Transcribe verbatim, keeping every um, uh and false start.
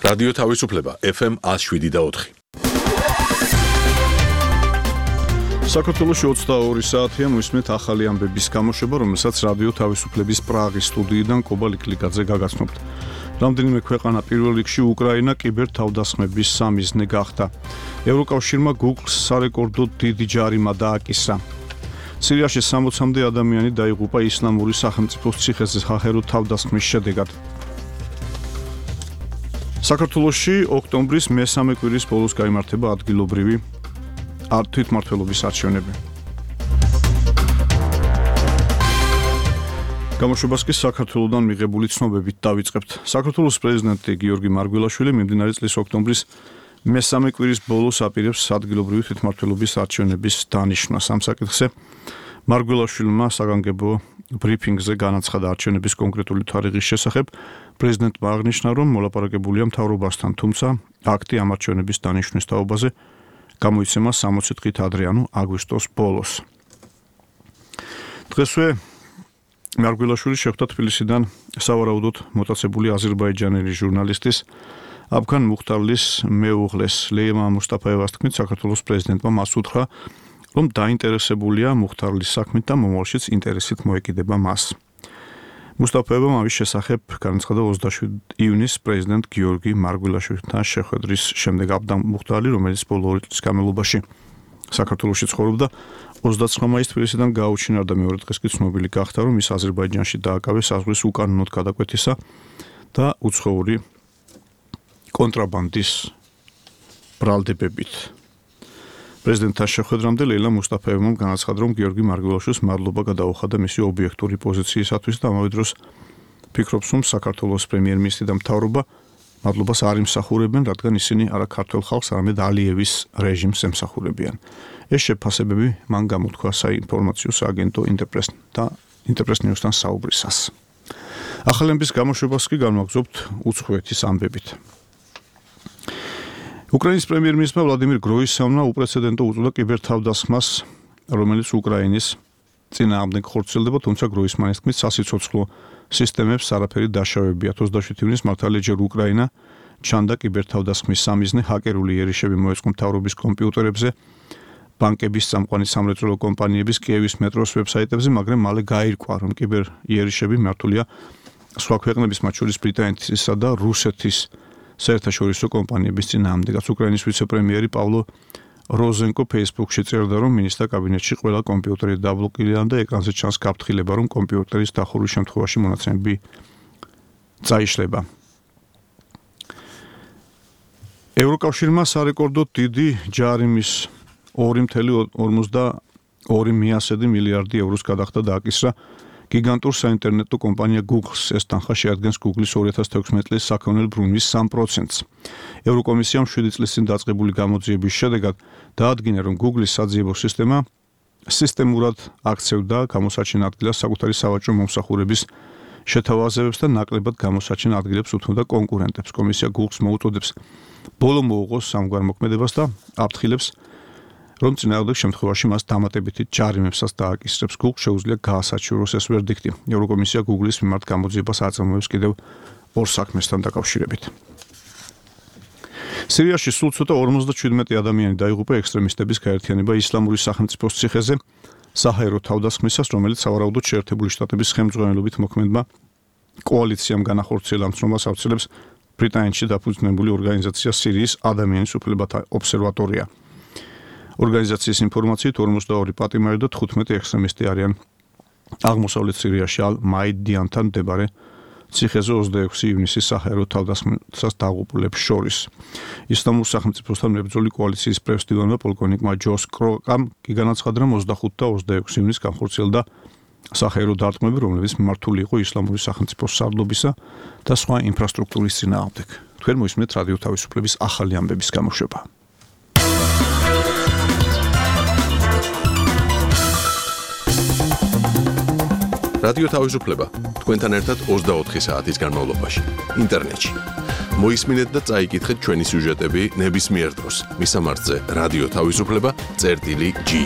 რადიო თავისუფლება ეფ ემ one oh seven და four. საქართველოში ოცდაორი საათია მისმენთ ახალი ამბების გამოშვება, რომელსაც რადიო თავისუფლების პრაღის სტუდიიდან კობა ლიკლიკაძე გაგაცნობთ. რამდენიმე ქვეყანა პირველ რიგში უკრაინა კიბერთავდასხმების სამიზნე გახდა. ევროკავშირმა Google-ს სარეკორდო დიდი ჯარიმა დააკისრა. სირიაში სამოცამდე ადამიანი დაიღუპა ისლამური სახელმწიფოს ციხეზე სახერო თავდასხმის შედეგად. საქართველოში ოქტომბრის მესამე კვირის ბოლოს გაიმართება ადგილობრივი თვითმმართველობის არჩევნები. გამოშვებას კი საქართველოდან მიღებული ცნობებით დავიწყებთ. საქართველოს პრეზიდენტი გიორგი მარგველაშვილი მიმდინარე წლის ოქტომბრის მესამე კვირის ბოლოს აპირებს ადგილობრივი თვითმმართველობის არჩევნების დანიშვნას. ამ საკითხზე მარგველაშვილმა საგანგებო ბრიფინგზე განაცხადა არჩევნების კონკრეტული თარიღის შესახებ. პრეზიდენტმა აღნიშნა, რომ მოლაპარაკებულია მთავრობასთან, თუმცა აქტი ამ არჩევნების დანიშვნის თაობაზე გამოიცემა სამოცი დღით ადრე, ანუ აგვისტოს ბოლოს. დღესვე მარგველაშვილი შეხვდა თბილისიდან სავარაუდოდ მოტაცებული აზერბაიჯანელი ჟურნალისტის აფგან მუხტარლის მეუღლეს ლეიმა მუსტაფაევას თქმით, საქართველოს პრეზიდენტმა მას უთხრა, რომ დაინტერესებულია მუხტარლის საქმით და მომავალშიც ინტერესით მოეკიდება მას. მუსტაფაევამ ამის შესახებ განაცხადა ოცდაშვიდი ივნისს პრეზიდენტ გიორგი მარგველაშვილთან შეხვედრის შემდეგ. აბდან მუხტარლი, რომელიც ბოლო ორი წლის განმავლობაში საქართველოში ცხოვრობდა, ოცდაცხრა მაისს თბილისიდან გაუჩინარდა, მეორე დღეს კი ცნობილი გახდა, რომ ის აზერბაიჯანში დააკავეს საზღვრის უკანონოდ გადაკვეთისა და უცხოური კონტრაბანდის ბრალდებებით. პრეზიდენტთან შეხვედრამდე ლეილა მუსტაფაევამ განაცხადა, რომ გიორგი მარგველაშვილს მადლობა გადაუხადა მისი ობიექტური პოზიციისათვის და ამავე დროს ფიქრობს, რომ საქართველოს პრემიერ-მინისტრი და მთავრობა მადლობას არ იმსახურებენ, რადგან ისინი არა ქართველ ხალხს, არამედ ალიევის რეჟიმს ემსახურებიან. ეს შეფასებები მან გამოთქვა საინფორმაციო სააგენტო ინტერპრეს და ინტერპრეს ნიუსთან საუბრისას. ახალი ამბების გამოშვებას კი განვაგრძობთ უცხოეთის ამბებით. უკრაინის პრემიერ-მინისტრმა ვლადიმირ გროისევმა უპრეცედენტო უწოდა კიბერთავდასხმას, რომელიც უკრაინის წინააღმდეგ ხორციელდება, თუმცა გროისმანის თქმით, სასიცოცხლო სისტემებს არაფერი დაშავებიათ. ოცდაშვიდი ივნისს მართალია ჯერ უკრაინა ჩანდა კიბერთავდასხმის სამიზნე, ჰაკერული იერიშები მოეწყო მთავრობის კომპიუტერებზე, ბანკების წამყვანი სამრეწველო კომპანიების, კიევის მეტროს ვებსაიტებზე, მაგრამ მალე გაირკვა, რომ კიბერ იერიშები მართულია სხვა ქვეყნების, მათ შორის ბრიტანეთისა და რუსეთის საერთაშორისო კომპანიების წინააღმდეგაც. უკრაინის ვიცე-პრემიერი პავლო როზენკო Facebook-ში წერდა, რომ მინისტრთა კაბინეტში ყველა კომპიუტერი დაბლოკილია და ეკრანზე ჩანს გაფრთხილება, რომ კომპიუტერის დახურვის შემთხვევაში მონაცემები წაიშლება. ევროკავშირმა სარეკორდო დიდი ჯარიმის ორი წუთი ორმოცდაორი მილიარდი ევროს გადახდა დააკისრა გიგანტურ საინტერნეტო კომპანია Google-ს. ეს თანხა შეადგენს Google-ის ორი ათას თექვსმეტი წლის საქონელ ბრუნვის სამ პროცენტს. ევროკომისიამ შვიდი წლის წინ დაწყებული გამოძიების შედეგად დაადგინა, რომ Google-ის საძიებო სისტემა სისტემურად აქცევდა გამოსაჩენ ადგილას საკუთარი სავაჭრო მომსახურების შეთავაზებებს და ნაკლებად გამოსაჩენ ადგილებს უთმობდა კონკურენტებს. კომისია Google-ს მოუწოდებს ბოლო მოუღოს სამგვარ მოქმედებას და აფრთხილებს, რომ წინააღმდეგ შემთხვევაში მას დამატებითი ჯარიმებსაც დააკისრებს. Google შეუძლია გაასაჩივროს ეს ვერდიქტი. ევროკომისია Google-ის მიმართ გამოძიებას აწარმოებს კიდევ ორ საქმესთან დაკავშირებით. სირიაში სულ ცოტა ორმოცდაჩვიდმეტი ადამიანი დაიღუპა ექსტრემისტების გაერთიანება ისლამური სახელმწიფოს ციხეზე საჰაერო თავდასხმისას, რომელიც სავარაუდოდ შეერთებული შტატების ხელმძღვანელობით მოქმედმა კოალიციამ განახორციელა. მცნობას ავრცელებს ბრიტანეთში დაფუძნებული ორგანიზაცია სირიის ადამიანის უფლებათა ობსერვატორია. ორგანიზაციის ინფორმაციით ორმოცდაორი პატიმარი და თხუთმეტი ექსტრემისტი არიან აღმოსავლეთ სირიაში ალ-მაიდიანთან მდებარე ციხეზე ოცდაექვსი ივნისის საჰაერო თავდასხმისას დაღუპულებს შორის. ისლამურ სახელმწიფოსთან მებრძოლი კოალიციის პრეს-დივანმა პოლკოვნიკმა ჯოს კროკამ კი განაცხადა, რომ ოცდახუთი და ოცდაექვსი ივნისს განხორციელდა საჰაერო დარტყმები, რომლებიც მიმართული იყო ისლამური სახელმწიფოს სარდლობისა და სხვა ინფრასტრუქტურის წინააღმდეგ. თქვენ მოისმენთ რადიო თავისუფლების ახალი ამბების გამოშვება. რადიო თავისუფლება თქვენთან ერთად ოცდაოთხი საათის განმავლობაში ინტერნეტში. მოისმინეთ და წაიკითხეთ ჩვენი სიუჟეტები ნებისმიერ დროს. მისამართზე რადიო თავისუფლება წერტილი ჯი.